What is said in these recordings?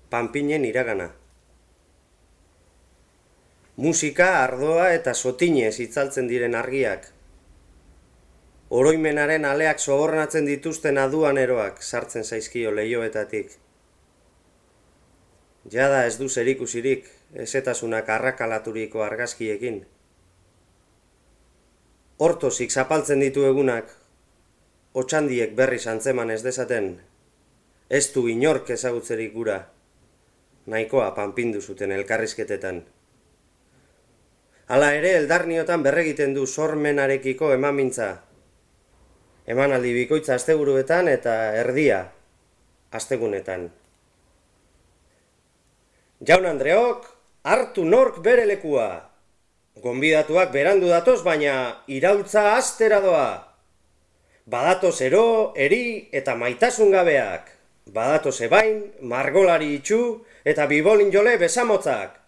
panpinen iragana. Musika, ardoa eta sotinez itzaltzen diren argiak. Oroimenaren aleak sobornatzen dituzten aduaneroak sartzen zaizkio leihoetatik. Jada ez du zerikusirik, ezetasunak arrakalaturiko argazkiekin. Hortozik zapaltzen ditu egunak, otxandiek berriz antzeman ez dezaten, ez du inork ezagutzerik gura, nahikoa panpindu zuten elkarrizketetan. Hala ere, eldarniotan berregiten du sormenarekiko emamintza. Emanaldi bikoitza asteburuetan eta erdia astegunetan. Jaun Andreok, hartu nork bere lekua. Gonbidatuak berandu datoz, baina iraultza astera doa. Badatoz ero, eri eta maitasun gabeak. Badatoz ebain, margolari itxu eta bibolin jole besamotzak.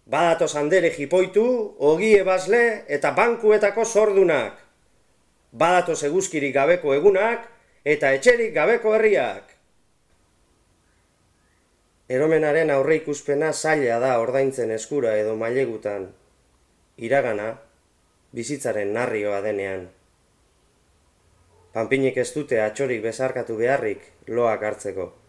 Badatoz handere jipoitu, ogie basle eta bankuetako sordunak. Badatoz eguzkirik gabeko egunak eta etxerik gabeko herriak. Eromenaren aurreikuspena zaila da ordaintzen eskura edo mailegutan. Iragana, bizitzaren narrioa denean. Panpinek ez dute atxorik bezarkatu beharrik loak hartzeko.